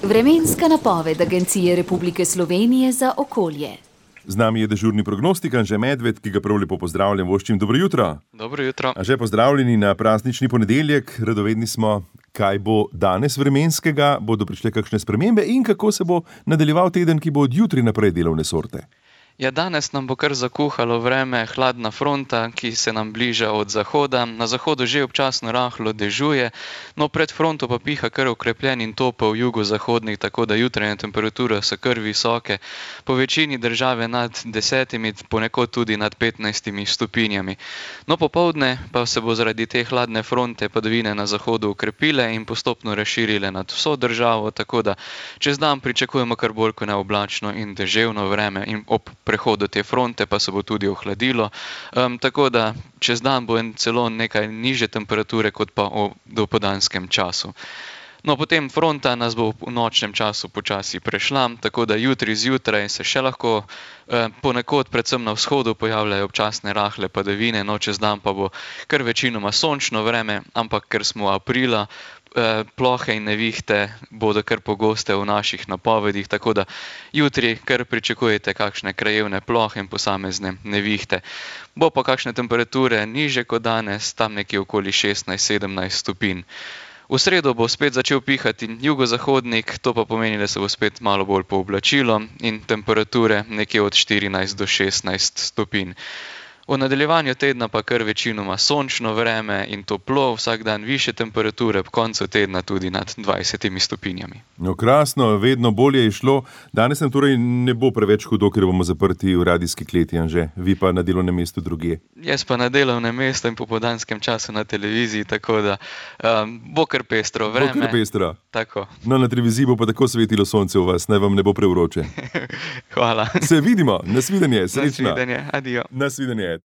Vremenska napoved Agencije Republike Slovenije za okolje. Z nami je dežurni prognostik Anže Medved, ki ga prav lepo pozdravljam. Voščim, dobro jutro. Dobro jutro. Anže, pozdravljeni na praznični ponedeljek. Radovedni smo, kaj bo danes vremenskega, bodo prišle kakšne spremembe in kako se bo nadaljeval teden, ki bo od jutri naprej delovne sorte. Ja, danes nam bo kar zakuhalo vreme, hladna fronta, ki se nam bliža od zahoda. Na zahodu že občasno rahlo dežuje, no pred fronto pa piha kar okrepljen in topel jugozahodnik, tako da jutranje temperature so kar visoke. Po večini države nad 10, ponekod tudi nad 15 stopinjami. No popoldne pa se bo zaradi te hladne fronte padavine na zahodu okrepile in postopno razširile nad vso državo, tako da čez dan pričakujemo kar bolj kot neoblačno in deževno vreme in ob prehodu te fronte pa se bo tudi ohladilo, tako da čez dan bo celo nekaj nižje temperature kot pa v dopoldanskem času. No, potem fronta nas bo v nočnem času počasi prešla, tako da jutri zjutraj se še lahko ponekod, predvsem na vzhodu, pojavljajo občasne rahle padavine, no čez dan pa bo kar večinoma sončno vreme, ampak ker smo aprila, plohe in nevihte bodo kar pogoste v naših napovedih, tako da jutri kar pričakujete kakšne krajevne plohe in posamezne nevihte. Bo pa kakšne temperature niže kot danes, tam nekje okoli 16-17 stopinj. V sredo bo spet začel pihati jugozahodnik, to pa pomeni, da se bo spet malo bolj pooblačilo in temperature nekje od 14 do 16 stopinj. V nadaljevanju tedna pa kar večinoma sončno vreme in toplo, vsak dan višje temperature, ob koncu tedna tudi nad 20 stopinjami. No, krasno, vedno bolje je šlo. Danes nam torej ne bo preveč hudo, ker bomo zaprti v radijski kleti, Anže. Vi pa na delovnem mestu drugje. Jaz pa na delovnem mestu in popoldanskem času na televiziji, tako da bo kar pestro vreme. Bo kar pestro. Tako. No, na televiziji bo pa tako svetilo sonce v vas, naj vam ne bo prevroče. Hvala. Se vidimo, nasvidenje, srečno. Nasvidenje, adijo. Nasvidenje.